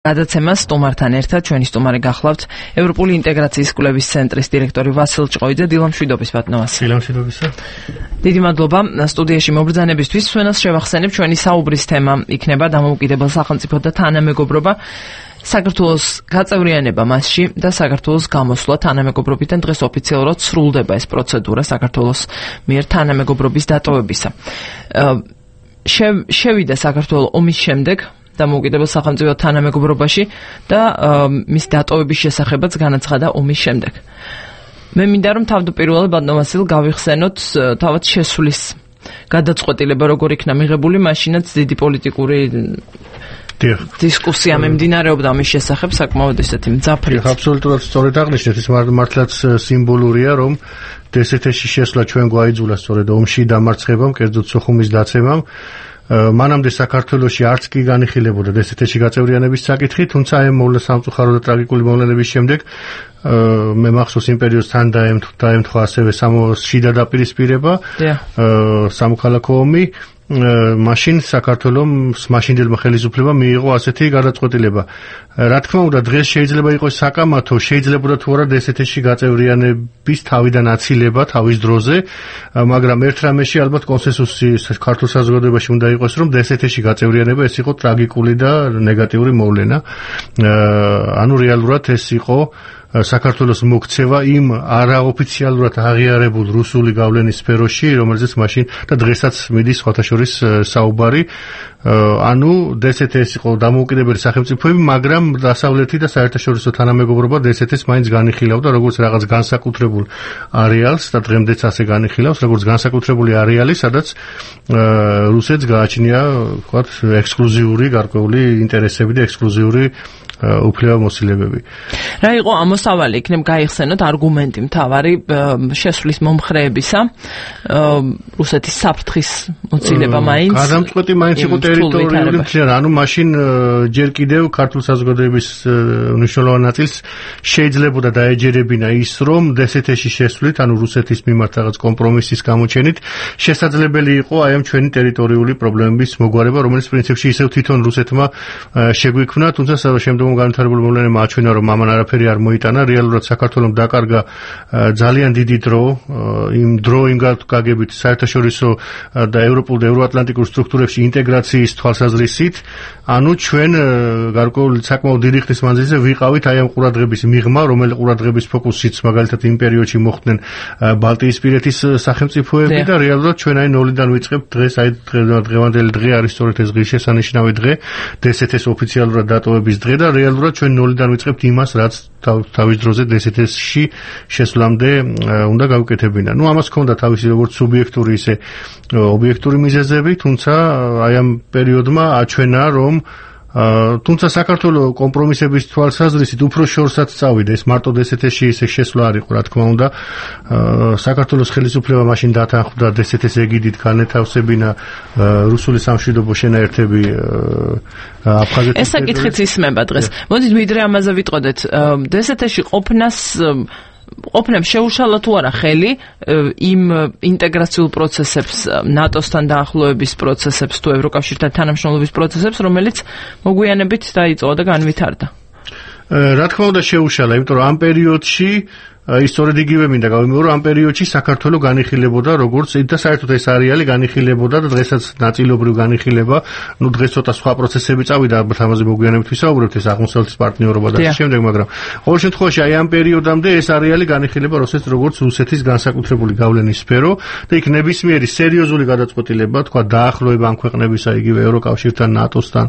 გადაცემას სტუმართან ერთად ჩვენი სტუმარი გახლავთ ევროპული ინტეგრაციის კვლევის ცენტრის დირექტორი ვასილ ჭყოიძე. დილამშვიდობის ბატონო. დილამშვიდობისა. დიდი მადლობა სტუდიაში მობრძანებისთვის. ჩვენს შევახსენებ ჩვენი საუბრის თემა იქნება დამოუკიდებელ სახელმწიფო და თანამეგობრობა, საქართველოს გაწევრიანება მასში და საქართველოს გამოსვლა თანამეგობრობიდან. დღეს ოფიციალურად სრულდება ეს პროცედურა საქართველოს მიერ თანამეგობრობის დატოვებისა. შევიდა საქართველოს ომის შემდეგ დამოუკიდებელ სახელმწიფო თანამეგობრობაში და მის დატოვების შესახებაც განაცხადა ომის შემდეგ. მე მინდა რომ თავდაპირველად ბატონო ვასილ გავიხსენოთ თავად შესვლის გადაწყვეტილება როგორ იქნა მიღებული, მაშინაც დიდი პოლიტიკური დისკუსია მიმდინარეობდა მის შესახებ, საკმაოდ ესეთი მძაფრი. აბსოლუტურად სწორედ აღნიშნეთ, ეს მართლაც სიმბოლურია, რომ დსთ-ში შესვლა ჩვენ გვაიძულა სწორედ ომში დამარცხებამ, კერძოდ სოხუმის დაცემამ. მანამდე საქართველოში არც კი განიხილებოდა დსთ-ში გაწევრიანების საკითხი, თუმცა ამ სამწუხარო და ტრაგიკული მოვლენების შემდეგ მე მახსოვს იმ პერიოდს თან დაემთხვა ასევე შიდა დაპირისპირება, სამოქალაქო ომი. მაშინ საქართველოს მაშინდელმა ხელისუფლებამ მიიღო ასეთი გადაწყვეტილება. რა თქმა უნდა, დღეს შეიძლება იყოს საკამათო, შეიძლებოდა თუ არა დსთ-ში გაწევრიანების თავიდან აცილება თავის დროზე, მაგრამ ერთ რამეში ალბათ კონსენსუსი ქართულ საზოგადოებაში უნდა იყოს, რომ დსთ-ში გაწევრიანება ეს იყო ტრაგიკული და ნეგატიური მოვლენა. ანუ რეალურად ეს იყო საქართველოს მოქცევა იმ არაოფიციალურად აღიარებულ რუსული გავლენის სფეროში, რომელზეც მაშინ და დღესაც მიდის სხვათაშორის საუბარი. ანუ დსთ ეს იყო დამოუკიდებელი სახელმწიფოები, მაგრამ დასავლეთი და საერთაშორისო თანამეგობრობა დსთ-ს მაინც განიხილავდა როგორც რაღაც განსაკუთრებულ არეალს და დღემდეც ასე განიხილავს, როგორც განსაკუთრებული არეალი, სადაც რუსეთს გააჩნია, ვთქვათ, ექსკლუზიური გარკვეული ინტერესები და ექსკლუზიური უფლებამოსილებები. რა იყო ამოსავალი, იქნებ გაიხსენოთ არგუმენტი მთავარი შესვლის მომხრეებისა, რუსეთის საფრთხის მოცილება მაინც. გადამწყვეტი მაინც იყო ტერიტორიული მთლიანობა. ანუ მაშინ ჯერ კიდევ ქართულ საზოგადოების მნიშვნელოვან ნაწილს შეიძლებოდა დაეჯერებინა ის, რომ დსთ-ში შესვლით, ანუ რუსეთის მიმართ რაღაც კომპრომისის გამოჩენით, შესაძლებელი იყო აი ამ ჩვენი ტერიტორიული პრობლემების მოგვარება, რომელიც პრინციპში ისევ თვითონ რუსეთმა შეგვიქმნა, თუმცა შემდგომ განვითარებული მოვლენებმა აჩვენა, რომ ამან არაფერი არ მოიტანა. რეალურად საქართველოს დაკარგა ძალიან დიდი დრო, იმ გაგებით საერთაშორისო და ევროპულ და ევროატლანტიკურ სტრუქტურებში ინტეგრაციის თვალსაზრისით. ანუ ჩვენ გარკვეული საკმაოდ დიდი ხნის მანძილზე ვიყავით აი ამ ყურადღების მიღმა, რომელიც ყურადღების ფოკუსიც მაგალითად იმ პერიოდში მოხდნენ ბალტიისპირეთის სახელმწიფოები და რეალურად ჩვენ აი ნოლიდან ვიწყებთ დღეს, აი დღევანდელი დღე არის სწორედ ეს ღირსშესანიშნავი დღე, დსთ-ს ოფიციალურად დატოვების დღე და რეალურად ჩვენ ნოლიდან ვიწყებთ იმას, რაც თავის დროზე დსთ-ში შესვლამდე უნდა გავუკეთებინა. ნუ ამას ჰქონდა თავისი როგორც სუბიექტური, ისე ობიექტური მიზეზები, თუმცა აი ამ პერიოდმა აჩვენა, რომ თუმცა საქართველოს კომპრომისების თვალსაზრისით უფრო შორსაც წავიდა. ეს მარტო დსთ-ში ისე შესვლა არ იყო, რა თქმა უნდა. საქართველოს ხელისუფლება მაშინ დათანხმდა დსთ-ს ეგიდით განეთავსებინა რუსული სამშვიდობო შენაერთები აფხაზეთის. ეს საკითხიც ისმება დღეს. მოდით ვიდრე ამაზე ვიტყოდეთ, დსთ-ში ყოფნამ შეუშალა თუ არა ხელი იმ ინტეგრაციულ პროცესებს, ნატოსთან დაახლოების პროცესებს თუ ევროკავშირთან თანამშრომლობის პროცესებს, რომელიც მოგვიანებით დაიწყო და განვითარდა. რა თქმა უნდა შეუშალა, იმიტომ რომ ამ პერიოდში ისტორიად იგივე მინდა გავიმეორო, ამ პერიოდში საქართველო განიხილებოდა როგორც და საერთოდ ეს არეალი განიხილებოდა და დღესაც ნაწილობრივ განიხილება. ნუ დღეს ცოტა სხვა პროცესები წავიდა, ალბათ ამაზე მოგვიანებით ვისაუბრებთ, ეს აღმოსავლეთის პარტნიორობა და ამ შემდეგ, მაგრამ ყოველ შემთხვევაში აი ამ პერიოდამდე ეს არეალი განიხილება როგორც რუსეთის განსაკუთრებული გავლენის სფერო და იქ ნებისმიერი სერიოზული გადაწყვეტილება, თქვა დაახლოება ამ ქვეყნებისა, იგივე ევროკავშირთან, ნატოსთან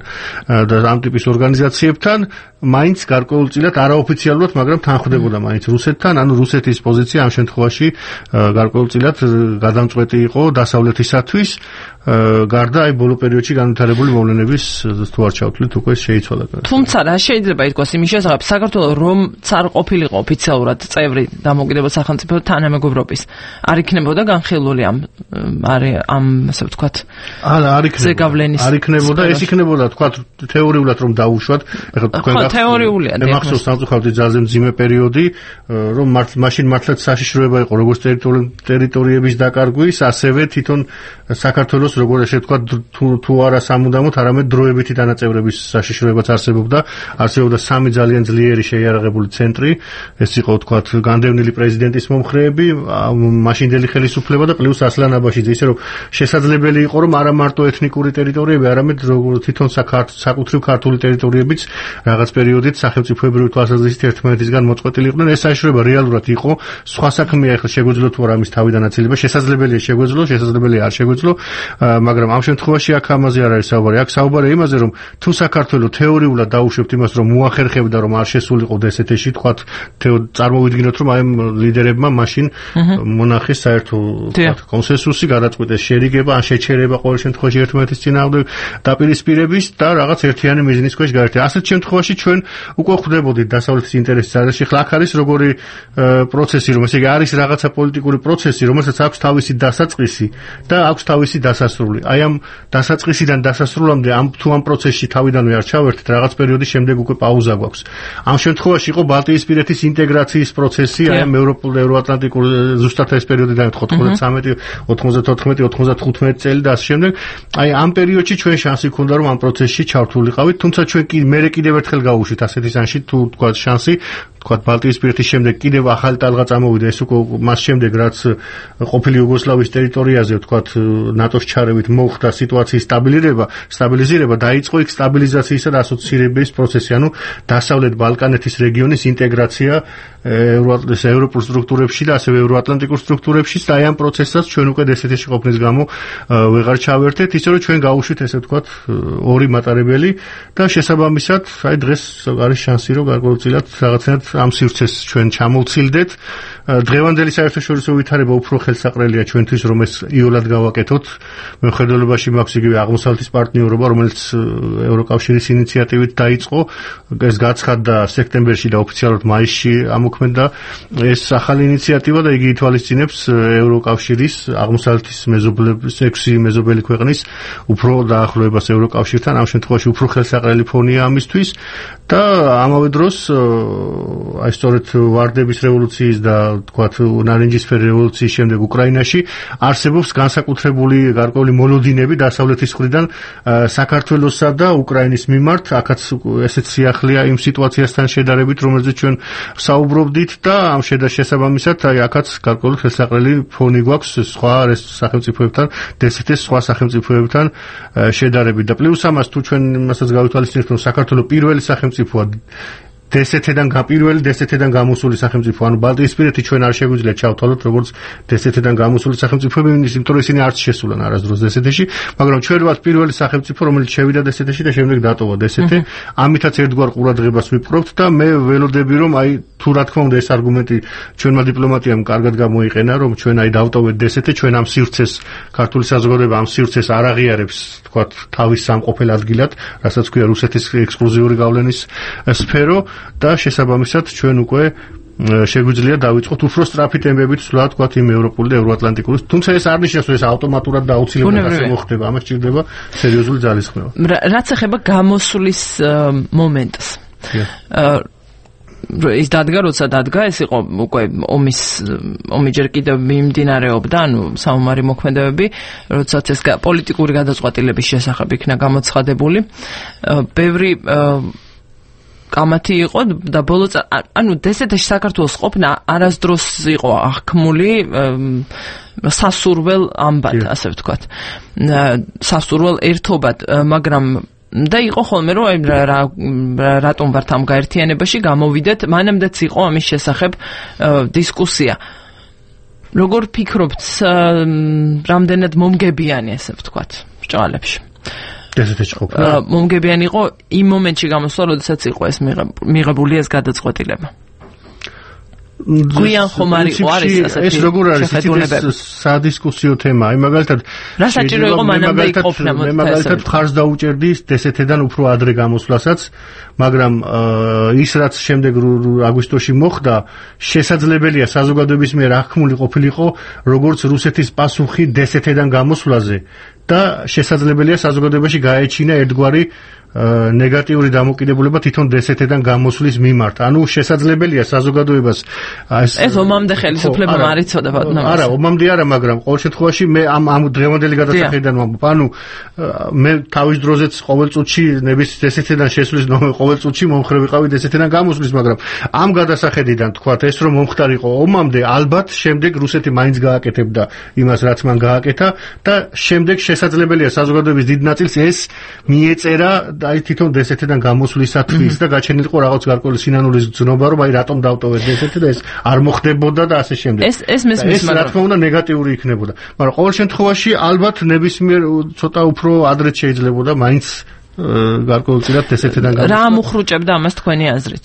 და ამ ტიპის ორგანიზაციებთან მაინც გარკვეულწილად არაოფიციალურად, მაგრამ თანხმდებოდა მაინც რუსეთთან. ანუ რუსეთის პოზიცია ამ შემთხვევაში გარკვეულწილად გადამწყვეტი იყო დასავლეთისათვის, გარდა აი ბოლო პერიოდში განვითარებული მოვლენების თუ არ ჩავთვლით, უკვე შეიცვალა. თუმცა რა შეიძლება ითქვას იმის შესახებ, საქართველოს რომც არ ყოფილიყო ოფიციალურად წევრი დამოუკიდებელ სახელმწიფო თანამეგობრობის, არ იქნებოდა განხილული ამ ასე ვთქვათ, არ იქნებოდა, ეს იქნებოდა ვთქვათ თეორიულად რომ დაუშვათ, ეხლა თქვენ გახსოვთ, მე მახსოვს სამწუხაროდ ძალზე მძიმე პერიოდი, რომ მაშინ მართლაც საშიშროება იყო როგორც ტერიტორიების დაკარგვის, ასევე თვითონ საქართველოს როგორ ესე ვთქვა თუ არა სამუდამოდ, არამედ დროებითი დანაწევრების საშიშროებაც არსებობდა 3 ძალიან ძლიერი შეიარაღებული ცენტრი, ეს იყო ვთქვა განდევნილი პრეზიდენტის მომხრეები, მაშინდელი ხელისუფლება და პლუს ასლან აბაშიძე, ისე რომ შესაძლებელი იყო რომ არა მარტო ეთნიკური ტერიტორიები, არამედ თვითონ საკუთრივ ქართული ტერიტორიებიც რაღაც პერიოდით სახელმწიფოებრივი თვალსაზრისით ერთმანეთისგან მოწყვეტილი იყვნენ. ეს საშიშროება რეალურად იყო. სხვა საქმეა ახლა შეგვეძლო თუ არა ამის თავი დანაწილება, შესაძლებელია შეგვეძლო, შესაძლებელია არ შეგვეძლო, მაგრამ ამ შემთხვევაში აქ ამაზე არ არის საუბარი. აქ საუბარია იმაზე, რომ თუ საქართველო თეორიულად დაუშვებთ იმას, რომ მოახერხებდა რომ არ შესულიყო დსთ-ში, თქვათ წარმოვიდგინოთ, რომ აი ლიდერებმა მაშინ მონახეს საერთო კონსენსუსი, გადაწყვიტეს შერიგება, ან შეჩერება ყოველ შემთხვევაში ერთმანეთის წინააღმდეგ დაპირისპირების და რაღაც ერთიანი მიზნის ქვეშ გაერთიანება. ასეთ შემთხვევაში ჩვენ უკვე ხვდებოდით დასავლეთის ინტერესის არეში. ახლა აქ არის როგორი პროცესი, რომ ესე იგი არის რაღაცა პოლიტიკური პროცესი, რომელსაც აქვს თავისი დასაწყისი და აქვს თავისი დასასრული. აი ამ დასაწყისიდან დასასრულამდე თუ ამ პროცესში თავიდანვე არ ჩავერთეთ, რაღაც პერიოდის შემდეგ უკვე პაუზა გვაქვს. ამ შემთხვევაში იყო ბალტიისპირეთის ინტეგრაციის პროცესი, აი ამ ევროატლანტიკურ ზუსტად ეს პერიოდი დაემთხვა 93, 94, 95 წელი და ასე შემდეგ. აი ამ პერიოდში ჩვენ შანსი ჰქონდა რომ ამ პროცესში ჩართულიყავით, თუმცა ჩვენ მერე კიდევ ერთხელ გავუშვით ასეთი სანში თუ თქვა შანსი, თქვა ბალტიისპირეთის შემდეგ კიდევ ახალი ტალღა წამოვიდა, ეს უკვე მას შემდეგ რაც ყოფილი იუგოსლავიის ტერიტორიაზე თქვა ნატოს ჩარევით მოხდა სიტუაციის სტაბილიზირება, დაიწყო იქ სტაბილიზაციისა და ასოცირების პროცესი, ანუ დასავლეთ ბალკანეთის რეგიონის ინტეგრაცია ევროპულ სტრუქტურებში და ასევე ევროატლანტიკურ სტრუქტურებშიც და აი ამ პროცესსაც ჩვენ უკვე დსთ-ში ყოფნის გამო ვეღარ ჩავერთეთ, ისე რომ ჩვენ გავუშვით ესე ვთქვათ ორი მატარებელი და შესაბამისად აი დღეს არის შანსი რომ გარკვეულწილად რაღაცნაირად ამ სივრცეს ჩვენ ჩამოვცილდეთ. დღევანდელი საერთაშორისო ვითარება უფრო ხელსაყრელია ჩვენთვის რომ ეს იოლად გავაკეთოთ. მეხედველობაში მაქვს იგივე აღმოსავლეთის პარტნიორობა, რომელიც ევროკავშირის ინიციატივით დაიწყო, ეს გაცხადდა სექტემბერში და ოფიციალურად მაისში ამოქმედა ეს ახალი ინიციატივა და იგი ითვალისწინებს ევროკავშირის აღმოსავლეთის მეზობლების 6 მეზობელი ქვეყნის უფრო დაახლოებას ევროკავშირთან, ამ შემთხვევაში უფრო ხელსაყრელი ფონია ამისთვის და ამავე დროს აი სწორედ ვარდების რევოლუციის და თქვათ ნარინჯისფერი რევოლუციის შემდეგ უკრაინაში არსებობს განსაკუთრებული გარკვეული მოლოდინები დასავლეთის მხრიდან საქართველოსა და უკრაინის მიმართ, აქაც ესეც სიახლეა იმ სიტუაციასთან შედარებით, რომელზეც ჩვენ საუბრობდით და ამ შესაბამისად აი აქაც გარკვეული ხელსაყრელი ფონი გვაქვს სხვა სახელმწიფოებთან, დსთ-ის სხვა სახელმწიფოებთან შედარებით და პლუს ამას თუ ჩვენ იმასაც გავითვალისწინებთ, რომ საქართველოს პირველი სახელმწიფოა დსთ-დან გამოსული სახელმწიფო, ანუ ბალტიისპირეთი ჩვენ არ შეგვიძლია ჩავთვალოთ როგორც დსთ-დან გამოსული სახელმწიფოები, იმიტომ რომ ისინი არც შესულან არასდროს დსთ-ში, მაგრამ ჩვენ ვართ პირველი სახელმწიფო, რომელიც შევიდა დსთ-ში და შემდეგ დატოვა დსთ. ამითაც ერთგვარ ყურადღებას ვიპყრობთ და მე ველოდები რომ აი თუ რა თქმა უნდა ეს არგუმენტი ჩვენმა დიპლომატიამ კარგად გამოიყენა, რომ ჩვენ აი დავტოვეთ დსთ, ჩვენ ამ სივრცეს ქართული საზოგადოება ამ სივრცეს არ აღიარებს, თქვათ თავის სამყოფელ ადგილად, რასაც ქვია რუსეთის ექსკლუზიური გავლენის სფერო და შესაბამისად ჩვენ უკვე შეგვიძლია დავიწყოთ უფრო სწრაფი ტემპებით სვლა თქვათ იმ ევროპული და ევროატლანტიკური, თუმცა ეს არ ნიშნავს რომ ეს ავტომატურად და აუცილებლად ასე მოხდება, ამას ჭირდება სერიოზული ძალისხმევა. რაც ეხება გამოსulis მომენტს. ის დადგა, როცა დადგა, ეს იყო უკვე ომი ჯერ კიდევ მიმდინარეობდა, ანუ საომარი მოქმედებები, როდესაც ეს პოლიტიკური გადაწყვეტილების შესახებ იქნა გამოცხადებული. ბევრი კამათი იყო და ბოლო ანუ დსთ-ში საქართველოს ყოფნა არასდროს იყო აღქმული სასურველ ამბად, ასე ვთქვათ. სასურველ ერთობად, მაგრამ და იყო ხოლმე რომ რატომ ვართ ამ გაერთიანებაში, გამოვიდეთ, მანამდეც იყო ამის შესახებ დისკუსია. როგორ ფიქრობთ, რამდენად მომგებიანი, ასე ვთქვათ, ბრჭყალებში? დსთ-ში ყოფნა მომგებიანი იყო იმ მომენტში გამოსვლა, როდესაც იყო ეს მიღებული ეს გადაწყვეტილება. გვიან ხომ არის ასეთი ეს როგორ არის ეს სადისკუსიო თემა, აი მაგალითად რა საჭირო იყო მანამდე იყოფნა, მე მაგალითად ხარს დაუჭერდი დსთ-დან უფრო ადრე გამოსვლასაც, მაგრამ ის რაც შემდეგ აგვისტოში მოხდა, შესაძლებელია საზოგადოების მიერ აღქმული ყოფილიყო როგორც რუსეთის პასუხი დსთ-დან გამოსვლაზე. და შესაძლებელია საზოგადოებაში გაეჩინა ერთგვარი ნეგატიური დამოკიდებულება თვითონ დსთ-დან გამოსვლის მიმართ. ანუ შესაძლებელია საზოგადოებას ეს ომამდე ხელისუფლებამ არ იცოდა ბატონო. არა, ომამდე არა, მაგრამ ყოველ შემთხვევაში მე ამ დღევანდელი გადასახედიდან ვამბობ. ანუ მე თავის დროზეც ყოველ წუთში ნების დსთ-დან შესვლის ყოველ წუთში მომხრე ვიყავი დსთ-დან გამოსვლის, მაგრამ ამ გადასახედიდან თქვათ ეს რომ მომხდარიყო ომამდე, ალბათ შემდეგ რუსეთი მაინც გააკეთებდა იმას, რაც მან გააკეთა და შემდეგ შესაძლებელია საზოგადოების დიდ ნაწილს ეს მიეწერა აი თვითონ დსთ-დან გამოსვლისათვის და გაჩენილიყო რაღაც გარკვეული სინანულის გზნობა, რომ აი რატომ დავტოვეთ დსთ და ეს არ მოხდებოდა და ასე შემდეგ. ეს მესმის, მაგრამ რა თქმა უნდა ნეგატიური იქნებოდა. მაგრამ ყოველ შემთხვევაში ალბათ ნებისმიერ ცოტა უფრო ადრეც შეიძლებოდა მაინც გარკვეულწილად დსთ-დან გამოსვლა. რა მოხრუჭებდა ამას თქვენი აზრით?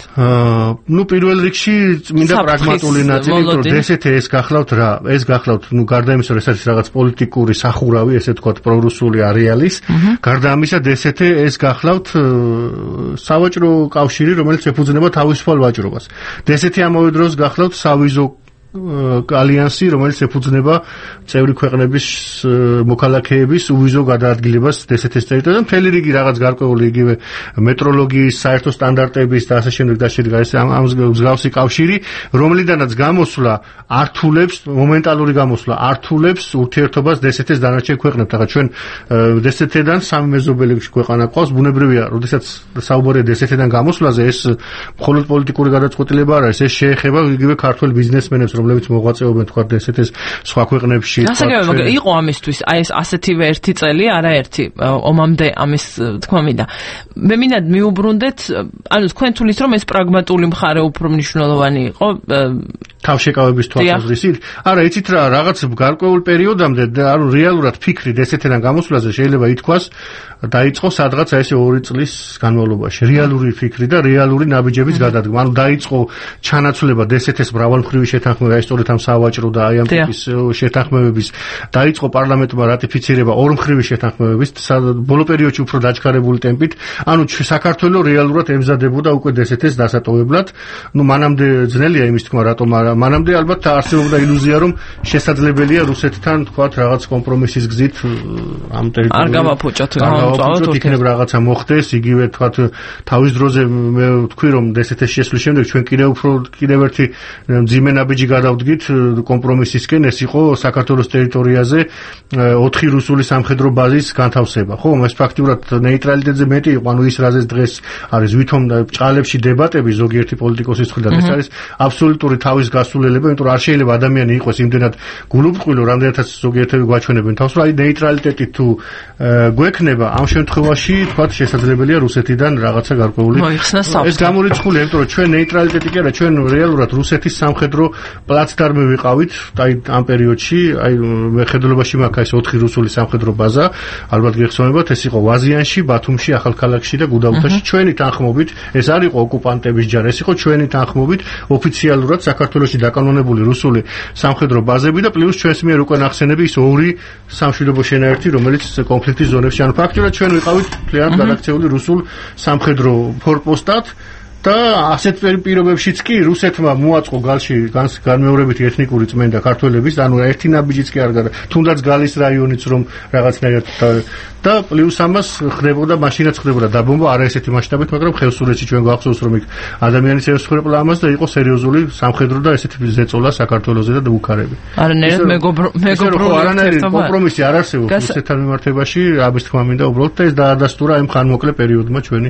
ნუ პირველ რიგში მინდა პრაგმატული ნაწილი, რომ დსთ ეს გახლავთ რა? ეს გახლავთ, ნუ გარდა იმისა, რომ ეს არის რაღაც პოლიტიკური სახურავი, ესე ვთქვათ, პრორუსული არეალის, გარდა ამისა დსთ ეს გახლავთ სავაჭრო კავშირი, რომელიც ეფუძნება თავისუფალ ვაჭრობას. დსთ ამავე დროს გახლავთ სავიზო ალიანსი, რომელიც ეფუძნება წევრი ქვეყნების მოქალაქეების უვიზო გადაადგილებას დსთ-ის ტერიტორიაზე. მთელი რიგი რაღაც გარკვეული იგივე მეტროლოგიის, საერთო სტანდარტების და ასე შემდეგ და შემდეგ ამ მსგავსი კავშირი, რომლიდანაც გამოსვლა ართულებს, მომენტალური გამოსვლა ართულებს ურთიერთობას დსთ-ის დანარჩენ ქვეყნებთან. ჩვენ დსთ-დან სამი მეზობელი ქვეყანა ყავს, ბუნებრივია, როდესაც საუბარია დსთ-დან გამოსვლაზე, ეს მხოლოდ პოლიტიკური გადაწყვეტილება არ არის, ეს შეეხება იგივე ქართველ ბიზნესმენებს, რომლებიც მოღვაწეობენ თქვა დსთ-ის სხვა ქვეყნებში. მაგრამ იყო ამისთვის აი ეს ასეთივე ერთი წელი, არაერთი ომამდე ამის თქმა მინდა. მე მინდა მიუბრუნდეთ, ანუ თქვენ თulis რომ ეს პრაგმატული მხარე უფრო მნიშვნელოვანი იყო თავშეკავების თვალსაზრისით. არა, იცით რა, რაღაც გარკვეულ პერიოდამდე, ანუ რეალურად ფიქრი დსთ-დან გამოსვლაზე შეიძლება ითქვას დაიწყო სადღაც აი ესე 2 წლის განმავლობაში. რეალური ფიქრი და რეალური ნაბიჯების გადადგმა. ანუ დაიწყო ჩანაცვლება დსთ-ის მრავალმხრივი შეთანხმება, აი სწორედ ამ სავაჭრო და აი ამ ტიპის შეთანხმებების, დაიწყო პარლამენტმა რატიფიცირება ორმხრივი შეთანხმებების, ბოლო პერიოდში უფრო დაჩქარებული ტემპით. ანუ საქართველოს რეალურად ემზადებოდა უკვე დსთ-ის დასატოვებლად. ნუ მანამდე ძნელია იმის თქმა, რატომ არა. მანამდე ალბათ არსებობდა ილუზია, რომ შესაძლებელია რუსეთთან თქვათ რაღაც კომპრომისის გზით ამ ტერიტორიაზე არ გამაფუჭოთ, იქნებ რაღაცა მოხდეს, იგივე თქვათ თავის დროზე მე ვთქვი, რომ დსთ-ის შესვლის შემდეგ ჩვენ კიდევ ერთი მძიმე ნაბიჯი გადავდგით კომპრომისისკენ, ეს იყო საქართველოს ტერიტორიაზე 4 რუსული სამხედრო ბაზის განთავსება. ხო, ეს ფაქტიურად ნეიტრალიტეტზე მეტი იყო, ანუ ის რაზეც დღეს არის ვითომ ჭალებში დებატები ზოგიერთი პოლიტიკოსის მხრიდან, ეს არის აბსოლუტური თავის გასულელება, იმიტომ რომ არ შეიძლება ადამიანი იყოს იმდენად გულუბრყვილო, რამდენადაც ზოგიერთები გვაჩვენებენ თავს, რომ აი ნეიტრალიტეტი თუ გვექნება, ამ შემთხვევაში თქვათ შესაძლებელია რუსეთიდან რაღაცა გარკვეული ეს გამორიცხულია, იმიტომ რომ ჩვენ ნეიტრალიტეტი კი არა, ჩვენ რეალურად რუსეთის სამხედრო პლაცდარმი ვიყავით, აი ამ პერიოდში, აი მეხედველობაში მაქვს ეს 4 რუსული სამხედრო ბაზა, ალბათ გეხსოვებათ, ეს იყო ვაზიანში, ბათუმში, ახალქალაქში და გუდაუთაში. ჩვენი თანხმობით, ეს არ იყო ოკუპანტების ჯარი, ეს იყო ჩვენი თანხმობით ოფიციალურად საქართველოში დაკანონებული რუსული სამხედრო ბაზები და პლუს ჩვენს მიერ უკვე ნახსენები ის 2 სამშვიდობო შენაერთი, რომელიც კონფლიქტის ზონებში, ანუ ფაქტობრივად ჩვენ ვიყავით მთლიანად გადაქცეული რუსულ სამხედრო ფორპოსტად და ასეთ პირობებშიც კი რუსეთმა მოაწყო გალში განმეორებითი ეთნიკური წმენდა ქართველების, ანუ ერთი ნაბიჯიც კი არ გადა, თუნდაც გალის რაიონიც რომ რაღაცნაირად და პლუს ამას ხდებოდა, მაშინაც ხდებოდა დაბომბვა, არა ესეთი მასშტაბით, მაგრამ ხევსურეთში ჩვენ გვახსოვს რომ იქ ადამიანის ევსხვრეპლა ამას და იყო სერიოზული სამხედრო და ესეთი ზეწოლა საქართველოზე და უკარები. არანაირად მეგობრული არანაირი კომპრომისი არ არსებობს რუსეთთან მიმართებაში, ამის თქმა მინდა უბრალოდ და ეს დაადასტურა იმ ხანმოკლე პერიოდმა ჩვენი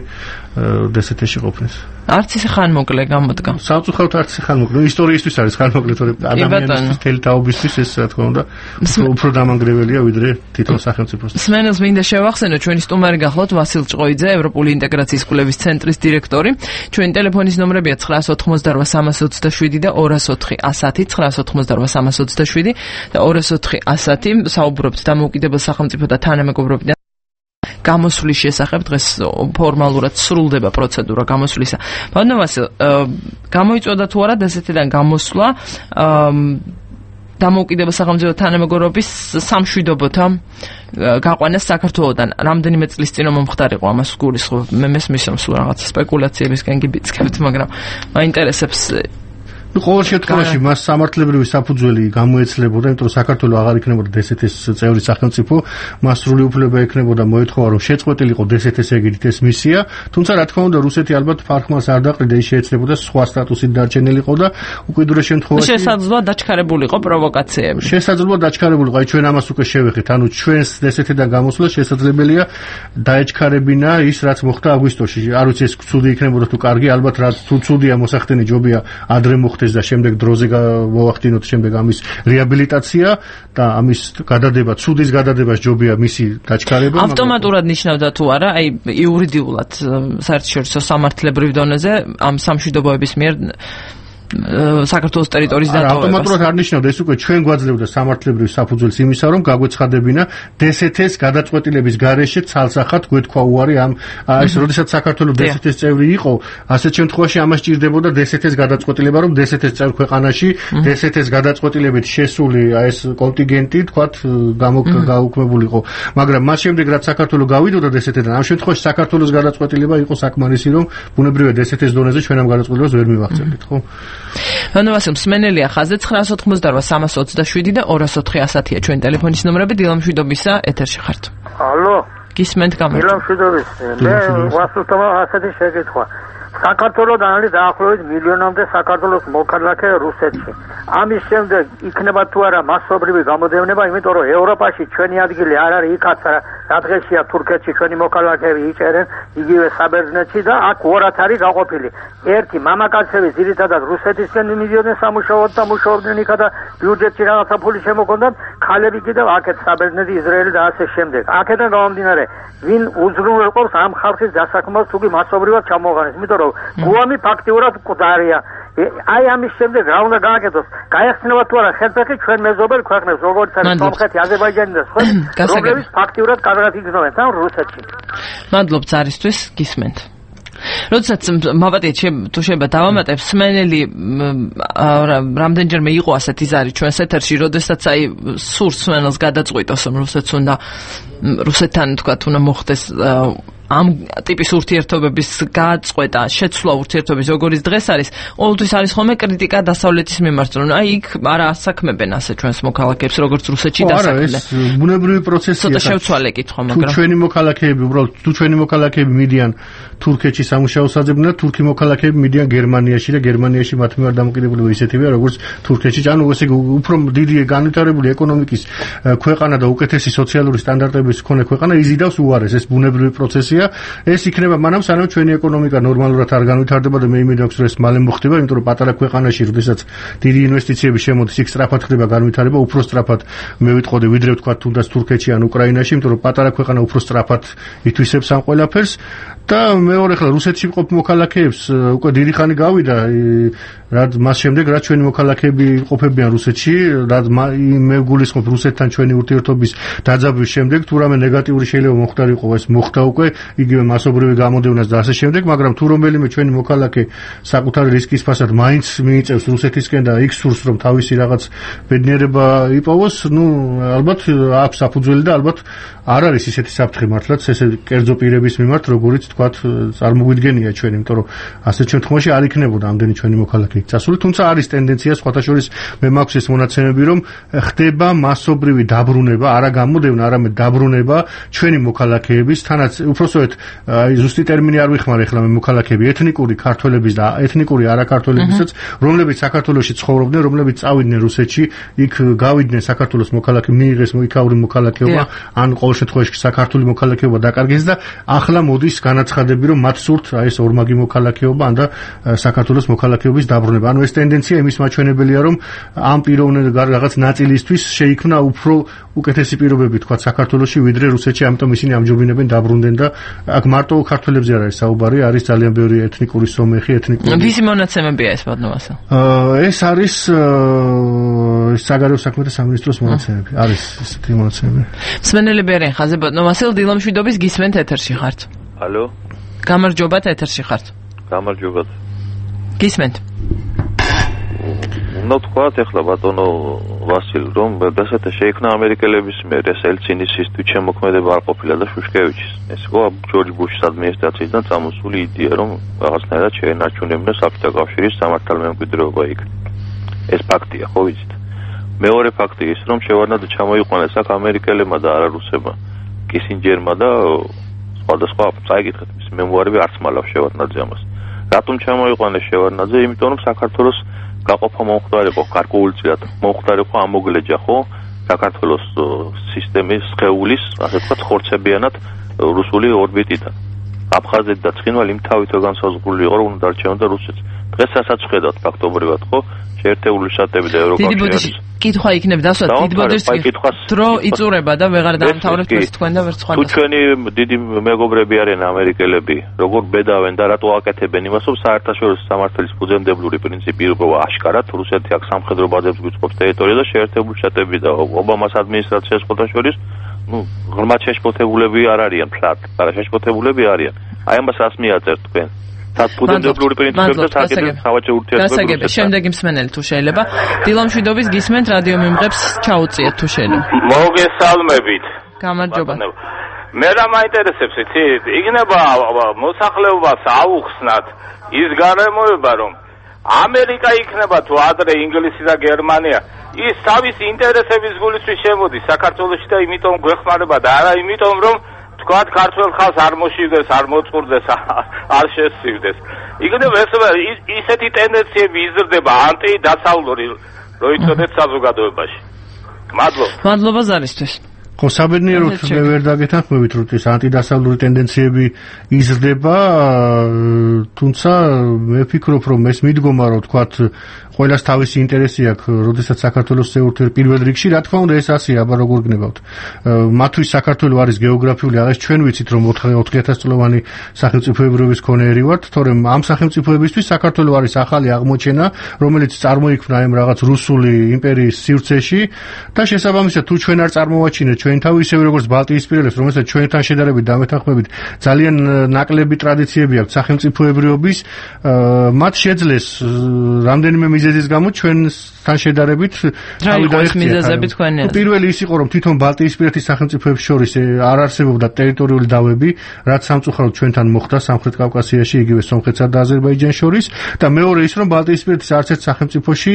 დსთ-ში ყოფნის. არც ისე ხანმოკლე გამოდგა. სამწუხაროდ არც ისე ხანმოკლე. ისტორიისთვის არის ხანმოკლე, თორე ადამიანის თელი თაობისთვის ეს რა თქმა უნდა უფრო დამანგრეველია ვიდრე თვითონ სახელმწიფოსთვის. სმენელს მინდა შევახსენო, ჩვენი სტუმარი გახლავთ ვასილ ჭყოიძე, ევროპული ინტეგრაციის კვლევის ცენტრის დირექტორი. ჩვენი ტელეფონის ნომრებია 988-327 და 204-110, 988-327 და 204-110. საუბრობთ დამოუკიდებელ სახელმწიფო და თანამეგობრობიდან გამოსვლის შესახებ. დღეს ფორმალურად სრულდება პროცედურა გამოსვლისა. ბატონო ვასილ, გამოიწვევდა თუ არა დსთ-დან გამოსვლა დამოუკიდებელ სახელმწიფო თანამეგობრობის სამშვიდობოთა გაყვანას საქართველოსთან? რამდენიმე წლის წინ მომხდარიყო ამას გულისხმობ. მე მესმის რომ სულ რაღაც სპეკულაციებისკენ გიბიძგებთ, მაგრამ მაინტერესებს ყოველ შემთხვევაში მას სამართლებრივი საფუძველი გამოეცლებოდა, იმიტომ რომ საქართველოს აღარ იქნებოდა DST-ის წევრი სახელმწიფო, მას სრული უფლება ექნებოდა მოეთხოვა რომ შეწყვეტილიყო DST-ის ეგრით ეს მისია, თუმცა რა თქმა უნდა რუსეთი ალბათ ფარხმას არ დაყრიდა, ის შეეცლებოდა სხვა სტატუსით დარჩენილიყო და უკიდურეს შემთხვევაში შესაძლოა დაჩქარებულიყო პროვოკაციები. შესაძლოა დაჩქარებულიყო, აი ჩვენ ამას უკვე შევეხეთ, ანუ ჩვენს DST-დან გამოსვლა შესაძლებელია დაეჩქარებინა ის რაც მოხდა აგვისტოში. არ ვიცი ეს ცუდი იქნებოდა თუ კარგი, ალბათ რა თუ ცუდია მოსახდენი ჯობია ადრე მოხდეს და შემდეგ დროზე მოვახდინოთ შემდეგ ამის რეაბილიტაცია და ამის გადადება, ცუდის გადადებას ჯობია მისი დაჩქარება. ავტომატურად ნიშნავდა თუ არა, აი იურიდიულად საერთაშორისო სამართლებრივ დონეზე ამ სამშვიდობოების მიერ საქართველოს ტერიტორიის დატოვებას. ავტომატურად არ ნიშნავდა, ეს უკვე ჩვენ გვაძლევდა სამართლებრივ საფუძველს იმისა, რომ გაგვეცხადებინა DST-ის გადაწყვეტილების გარეშე ცალსახად გვეთქვა უარი ამ ეს როდესაც საქართველოს DST-ის წევრი იყო, ასეთ შემთხვევაში ამას ჭირდებოდა DST-ის გადაწყვეტილება, რომ DST-ის წევრ ქვეყანაში DST-ის გადაწყვეტილებით შესული ეს კონტინგენტი, თქვათ, გაუქმებულიყო. მაგრამ მას შემდეგ რაც საქართველოს გავიდოდა DST-დან, ამ შემთხვევაში საქართველოს გადაწყვეტილება იყო საკმარისი, რომ ბუნებრივია DST-ის დონეზე ჩვენ ამ გადაწყვეტილებას ვერ მივახცევდით, ხო? Vanovasim Smenelija ხაზზე 988 და 204 ჩვენი ტელეფონის ნომრები დილამშვიდობისა ეთერში ხართ. Алло. გისმენთ გამარჯობა. დილამშვიდობის. მე ვასულთავა ასეთი შეკითხვა. საქართველოსთან არის დაახლოებით მილიონამდე საქართველოს მოქალაქე რუსეთში. ამის შემდეგ იქნება თუ არა მასობრივი გამოდევნება, იმიტომ რომ ევროპაში ჩვენი ადგილი არ არის იქაც რა დღესია თურქეთში ჩვენი მოქალაქეები იჭერენ იგივე საბერძნეთში და აქ ორად არის გაყოფილი. ერთი მამაკაცები ძირითადად რუსეთისკენ მიდიოდნენ სამუშაოდ და მუშაობდნენ იქა და ბიუჯეტში რაღაცა ფული შემოგვონდათ, ქალები კიდევ აქეთ საბერძნეთი, ისრაელი და ასე შემდეგ. აქედან გამომდინარე, ვინ უზრუნველყოფს ამ ხალხის დასაქმებას თუ კი მასობრივად ჩამოაყენეს, იმიტომ რომ გუამი ფაქტიურად მკვდარია. აი ამის შემდეგ რა უნდა გააკეთოს? გაეხსნება თუ არა ხელფეხი ჩვენ მეზობელ ქვეყნებს, როგორც არის სომხეთი, აზერბაიჯანი და სხვა, რომლებიც ფაქტიურად კარგად იგრძნობენ თან რუსეთში. მადლობ ზარისთვის, გისმენთ. როდესაც მოვატეთ თუ შეიძლება დავამატებ სმენელი რამდენჯერმე იყო ასეთი ზარი ჩვენს ეთერში, როდესაც აი სურს სმენელს გადაწყვიტოს რომ რუსეთს უნდა რუსეთთან თქვათ უნდა მოხდეს ამ ტიპის ურთიერთობების გაწყვეტა, შეცვლა ურთიერთობის როგორიც დღეს არის, ყოველთვის არის ხოლმე კრიტიკა დასავლეთის მიმართ, რომ აი იქ არა ასაქმებენ ასე ჩვენს მოქალაქეებს, როგორც რუსეთში დასაქმდნენ. არა, ეს ბუნებრივი პროცესია. ცოტა შევცვალე კითხვა, მაგრამ თუ ჩვენი მოქალაქეები, უბრალოდ თუ ჩვენი მოქალაქეები მიდიან თურქეთში სამუშაოს აძებდნენ, თურქი მოქალაქეები მიდიან გერმანიაში და გერმანიაში მათ მიმართ დამოკიდებულება ისეთივეა, როგორც თურქეთში. ანუ ესე უფრო დიდი განვითარებული ეკონომიკის ქვეყანა და უკეთესი სოციალური სტანდარტების მქონე ქვეყანა იზიდავს უარეს, ეს ბუნებრივი პროცესია. ეს იქნება მანამ სანამ ჩვენი ეკონომიკა ნორმალურად არ განვითარდება და მე იმედი აქვს რომ ეს მალე მოხდება, იმიტომ რომ პატარა ქვეყანაში როდესაც დიდი ინვესტიციები შემოდის, იქ სწრაფად ხდება განვითარება, უფრო სწრაფად მე ვიტყოდი ვიდრე ვთქვათ თუნდაც თურქეთში ან უკრაინაში, იმიტომ რომ პატარა ქვეყანა უფრო სწრაფად ითვისებს ამ ყველაფერს და მეორე ხელ რუსეთში მყოფ მოქალაქეებს უკვე დიდი ხანი გავიდა რაც მას შემდეგ რაც ჩვენი მოქალაქეები ყოფებიან რუსეთში, რაც მე გულისხმობ რუსეთთან ჩვენი ურთიერთობის დაძაბვის შემდეგ თუ რამე ნეგატიური შეიძლება მოხდარიყო, ეს მოხდა უკვე იგივე მასობრივი გამოდევნას და ასე შემდეგ, მაგრამ თუ რომელიმე ჩვენი მოქალაქე საკუთარი რისკის ფასად მაინც მიიწევს რუსეთისკენ და იქ სურს რომ თავისი რაღაც ბედნიერება იპოვოს, ნუ ალბათ აქვს საფუძველი და ალბათ არ არის ისეთი საფრთხე მართლაც ესე კერძო პირების მიმართ, როგორიც თქვათ წარმოგვიდგენია ჩვენ, იმიტომ რომ ასეთ შემთხვევაში არ იქნებოდა ამდენი ჩვენი მოქალაქე წასული, თუმცა არის ტენდენცია სხვათა შორის მე მაქვს ეს მონაცემები, რომ ხდება მასობრივი დაბრუნება, არა გამოდევნა, არამედ დაბრუნება ჩვენი მოქალაქეების, თანაც უпроსოეთ აი ზუსტი ტერმინი არ ვიხმარ ახლა მე მოქალაქეები, ეთნიკური ქართველების და ეთნიკური არაქართველებისაც, რომლებიც საქართველოში ცხოვრობდნენ, რომლებიც წავიდნენ რუსეთში, იქ გავიდნენ საქართველოს მოქალაქე, მიიღეს იქაური მოქალაქეობა, ან ყოველ შემთხვევაში საქართველოს მოქალაქეობა დაკარგეს და ახლა მოდის განაცხადები, რომ მათ სურთ აი ეს ორმაგი მოქალაქეობა ან და საქართველოს მოქალაქეობის დაბრუნება. ანუ ეს ტენდენცია იმის მაჩვენებელია, რომ ამ პიროვნების რაღაც ნაწილისთვის შეიქმნა უფრო უკეთესი პირობები თქვა საქართველოში ვიდრე რუსეთში, ამიტომ ისინი ამჯობინებენ დაბრუნდნენ და აქ მარტო ქართველებზე არ არის საუბარი, არის ძალიან ბევრი ეთნიკური სომეხი, ეთნიკური. ვისი მონაცემებია ეს ბატონო? ეს არის საგარეო საქმეთა სამინისტროს მონაცემები. არის ესეთი მონაცემები. სმენელები არიან ხაზე ბატონო ვასილ, დილამშვიდობის, გისმენთ ეთერში ხართ. ალო. გამარჯობათ, ეთერში ხართ. გამარჯობათ. გისმენთ. უნდა თქვათ ახლა ბატონო ვასილ, რომ დასათა შეიქმნა ამერიკელების მიერ ეს ელცინისის თვითშემოქმედება არ ყოფილა და შუშკევიჩის. ეს იყო ჯორჯ ბუშის ადმინისტრაციიდან წამოსული იდეა, რომ რაღაცნაირად შეენარჩუნებდნენ საბჭოთა კავშირის სამართალმემკვიდრეობა იქ. ეს ფაქტია, ხო ვიცით. მეორე ფაქტი ის, რომ შევარდნაძე ჩამოიყვანეს აქ ამერიკელებმა და არა რუსებმა, კისინჯერმა და სხვადასხვა წაიკითხეთ მის მემუარები არც მალავს შევარდნაძე ამას. რატომ ჩამოიყვანეს შევარდნაძე? იმიტომ რომ საქართველოს გაყოფა მომხდარიყო, გარკვეულწილად მომხდარიყო ამოგლეჯა, ხო? საქართველოს სისტემის სხეულის, ასე ვთქვათ, ხორცებიანად რუსული ორბიტიდან. აფხაზეთი და ცხინვალი იმ თავითო განსაზღვრული იყო, რომ დარჩენოდა რუსეთს. დღეს ასაც ხედავთ ფაქტობრივად, ხო? შეერთებული შტატები და ევროკავშირი. კითხვა იქნება დასვათ, დიდბოდის დრო იწურება და ვეღარ დაამთავრებთ ეს თქვენ და ვერც სხვადასხვა. თუ ჩვენი დიდი მეგობრები არიან ამერიკელები, როგორ ბედავენ და რატო აკეთებენ იმას, რომ საერთაშორისო სამართლის ფუძემდებლური პრინციპი იყო აშკარად, რუსეთი აქ სამხედრო ბაზებს გვიწყობს ტერიტორიაზე და შეერთებული შტატები და ობამას ადმინისტრაციას შეხოთაშორის, ღრმად შეშფოთებულები არ არიან ფლად, არა შეშფოთებულები არიან. აი ამას რას მიაწერთ თქვენ? ფუძემდებლური პრინციპები და საკითხი სავაჭრო ურთიერთობები. გასაგები, შემდეგი მსმენელი თუ შეიძლება. დილამშვიდობის გისმენთ რადიო მიმღებს ჩაუწიეთ თუ შეიძლება. მოგესალმებით. გამარჯობა. მე რა მაინტერესებს იცით? იქნება მოსახლეობას აუხსნათ ის გარემოება, რომ ამერიკა იქნება თუ ადრე ინგლისი და გერმანია, ის თავისი ინტერესების გულისთვის შემოდის საქართველოში და იმიტომ გვეხმარება და არა იმიტომ რომ თქვათ ქართველ ხალხს არ მოშივდეს, არ მოწყურდეს, არ შესწირდეს. იქნება ისეთი ტენდენციები იზრდება ანტიდასავლური, რო იცოდეთ საზოგადოებაში. მადლობა ზარისთვის. ხო, საბედნიეროდ მე ვერ დაგეთანხმებით, რომ ეს ანტიდასავლური ტენდენციები იზრდება, თუმცა მე ვფიქრობ, რომ ეს მიდგომა, რომ თქვათ ყველას თავისი ინტერესი აქვს, როდესაც საქართველოს ურთიერთ პირველ რიგში, რა თქმა უნდა ეს ასეა, აბა როგორ გნებავთ. მათთვის საქართველო არის გეოგრაფიული, აღეს ჩვენ ვიცით, რომ 4000 წლოვანი სახელმწიფოებრიობის მქონე ვართ, თორემ ამ სახელმწიფოებისთვის საქართველო არის ახალი აღმოჩენა, რომელიც წარმოიქმნა ამ რაღაც რუსული იმპერიის სივრცეში და შესაბამისად თუ ჩვენ არ წარმოვაჩინეთ ჩვენ თავი ისევე როგორც ბალტიისპირელებს, რომელსაც ჩვენთან შედარებით დამეთანხმებით ძალიან ნაკლები ტრადიციები აქვს სახელმწიფოებრიობის, მათ შეძლეს რამდენიმე მიზეზის გამო ჩვენთან შედარებით თავი დაიხსნა. პირველი ის იყო, რომ თვითონ ბალტიისპირეთის სახელმწიფოებს შორის არ არსებობდა ტერიტორიული დავები, რაც სამწუხაროდ ჩვენთან მოხდა სამხრეთ კავკასიაში, იგივე სომხეთსა და აზერბაიჯანს შორის და მეორე ის, რომ ბალტიისპირეთის არც ერთ სახელმწიფოში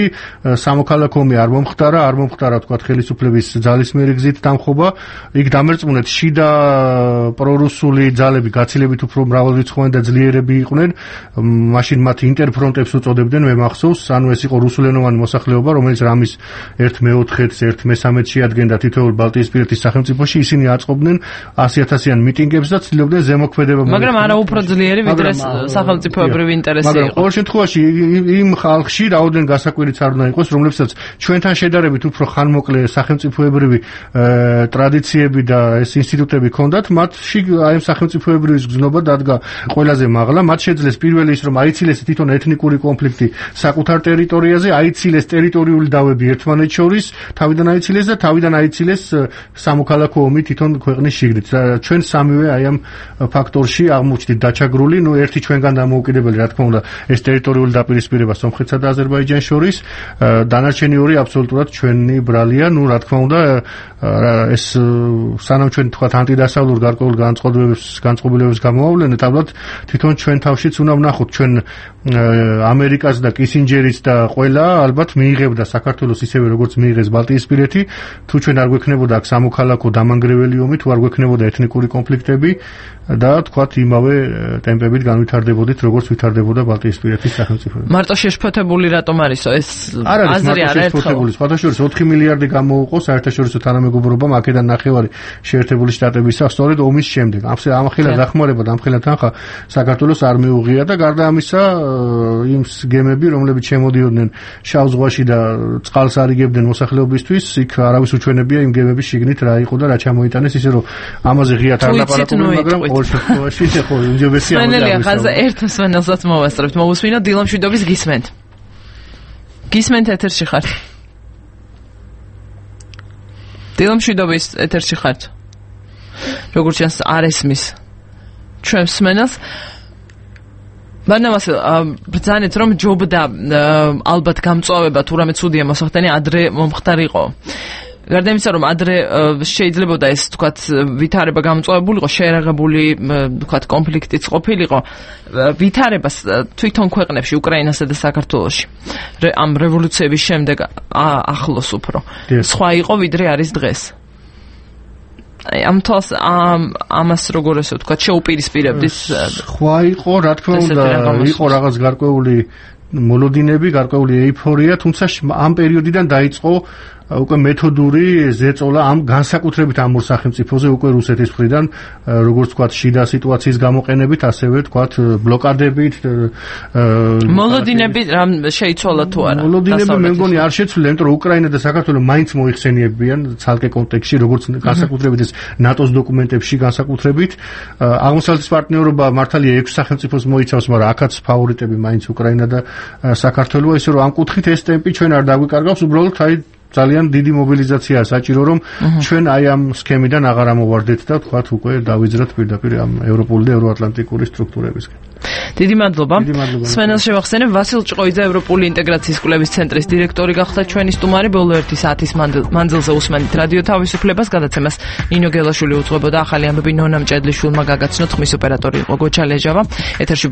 სამოქალაქო ომი არ მომხდარა, თქვათ ხელისუფლების ძალისმიერი გზით დამხობა. იქ დამერწმუნეთ შიდა პრორუსული ძალები გაცილებით უფრო მრავალრიცხოვანი და ძლიერები იყვნენ. მაშინ მათ ინტერფრონტებს უწოდებდნენ, მე მახსოვს, ანუ ეს იყო რუსულენოვანი მოსახლეობა, რომელიც რამის 1/4-ს, 1/13-ში ადგენდა თითოეულ ბალტიისპირეთის სახელმწიფოში, ისინი აწყობდნენ 100,000-იან მიტინგებს და ცდილობდნენ ზემოქმედება. მაგრამ არა უფრო ძლიერი, ვიდრე სახელმწიფოებრივი ინტერესი იყო. მაგრამ ყოველ შემთხვევაში იმ ხალხში რაოდენ გასაკვირიც არ უნდა იყოს, რომლებსაც ჩვენთან შედარებით უფრო ხანმოკლე სახელმწიფოებრივი ტრადიციები და ეს ინსტიტუტები ჰქონდათ, მათში აი ამ სახელმწიფოებრივის გზნობა დადგა ყველაზე მაღლა. მათ შეძლეს პირველი ის, რომ აიცილეს თვითონ ეთნიკური კონფლიქტი საკუთარ ტერიტორიაზე, აიცილეს ტერიტორიული დავები ერთმანეთს შორის, თავიდან აიცილეს სამოქალაქო ომი თვითონ ქვეყნის შიგნით. ჩვენ სამივე აი ამ ფაქტორში აღმოჩნდით დაჩაგრული, ერთი ჩვენგან დამოუკიდებელი, რა თქმა უნდა, ეს ტერიტორიული დაპირისპირება სომხეთსა და აზერბაიჯანს შორის, დანარჩენი ორი აბსოლუტურად ჩვენი ბრალია, რა თქმა უნდა, ეს სანამ ჩვენ თქვათ ანტიდასავლურ გარკვეულ განწყობილებას გამოვავლენთ, ალბათ თვითონ ჩვენ თავშიც უნდა ვნახოთ, ჩვენ ამერიკას და კისინჯერიც და ყველა ალბათ მიიღებდა საქართველოს ისევე როგორც მიიღეს ბალტიისპირეთი, თუ ჩვენ არ გვექნებოდა აქ სამოქალაქო დამანგრეველი ომი, თუ არ გვექნებოდა ეთნიკური კონფლიქტები და თქვათ იმავე ტემპებით განვითარდებოდით, როგორც ვითარდებოდა ბალტიისპირეთის სახელმწიფოები. მარტო შეშფოთებული რატომ არისო ეს აზრი არა შეშფოთებული. სხვადასხვა 4 მილიარდი გამოუყო საერთაშორისო თანამეგობრობამ აქედან ნახევარი შეერთებული შტატებისა, სწორედ ომის შემდეგ. ამხელა დახმარება და ამხელა თანხა საქართველოს არ მიუღია და გარდა ამისა იმ გემები, რომლებიც შემოდიოდნენ შავ ზღვაში და წყალს არიგებდნენ მოსახლეობისთვის, იქ არავის უჩვენებია იმ გემების შიგნით რა იყო და რა ჩამოიტანეს, ისე რომ ამაზე ღიად არ ლაპარაკობენ, მაგრამ ყოველ შემთხვევაში ხო უმჯობესია ამაზე. მენელია ხაზა ერთ მსმენელსაც მოვასწრებთ. მოვუსმინოთ დილამშვიდობის გისმენთ. გისმენთ ეთერში ხართ. დილამშვიდობის ეთერში ხართ. როგორც ჩანს არ ესმის ჩვენ მსმენელს. ბანამას ბრძანეთ რომ ჯობდა ალბათ გამწვავება თუ რამე ცუდია მოსახდენი ადრე მომხდარიყო. გარდა იმისა, რომ ადრე შეიძლებოდა ეს თქვათ ვითარება გამოწვევებულიყო, შეერაღებული თქვათ კონფლიქტიც ყოფილიყო, ვითარებას თვითონ ქვეყნებში, უკრაინასა და საქართველოში, ამ რევოლუციების შემდეგ ახლოს უფრო სხვა იყო ვიდრე არის დღეს. ამ თავს ამას როგორ ესე ვთქვათ, შეუპირისპირებდით? სხვა იყო, რა თქმა უნდა, იყო რაღაც გარკვეული მოლოდინები, გარკვეული ეიფორია, თუმცა ამ პერიოდიდან დაიწყო უკვე მეთოდური ზეწოლა ამ განსაკუთრებით ამ ორ სახელმწიფოზე უკვე რუსეთის მხრიდან, როგორც ვთქვათ, შიდა სიტუაციის გამოყენებით, ასევე ვთქვათ, ბლოკადებით. მოლოდინები რამ შეიცვალა თუ არა? მოლოდინები მე მგონი არ შეცვლილა, იმიტომ რომ უკრაინა და საქართველო მაინც მოიხსენიებიან ცალკე კონტექსტში, როგორც განსაკუთრებით ეს ნატოს დოკუმენტებში განსაკუთრებით. აღმოსავლეთის პარტნიორობა მართალია 6 სახელმწიფოს მოიცავს, მაგრამ აქაც ფავორიტები მაინც უკრაინა და საქართველოა, ისე რომ ამ კუთხით ეს ტემპი ჩვენ არ დაგვიკარგავს, უბრალოდ ძალიან დიდი მობილიზაციაა საჭირო, რომ ჩვენ აი ამ სქემიდან აღარ ამოვარდეთ და თქვათ უკვე დავიძრათ პირდაპირ ამ ევროპული და ევროატლანტიკური სტრუქტურებისგან. დიდი მადლობა. სვენელს შევახსენებ, ვასილ ჭყოიძე ევროპული ინტეგრაციის კვლევის ცენტრის დირექტორი გახდა ჩვენი სტუმარი. ბოლო 1 საათის მანძილზე უსმენთ რადიო თავისუფლებას, გადაცემას ნინო გელაშვილი უძღვებოდა, ახალი ამბები ნონა მჭედლიშვილმა გაგაცნოთ, ხმის ოპერატორი იყო გოჩა ლეჟავა. ეთერში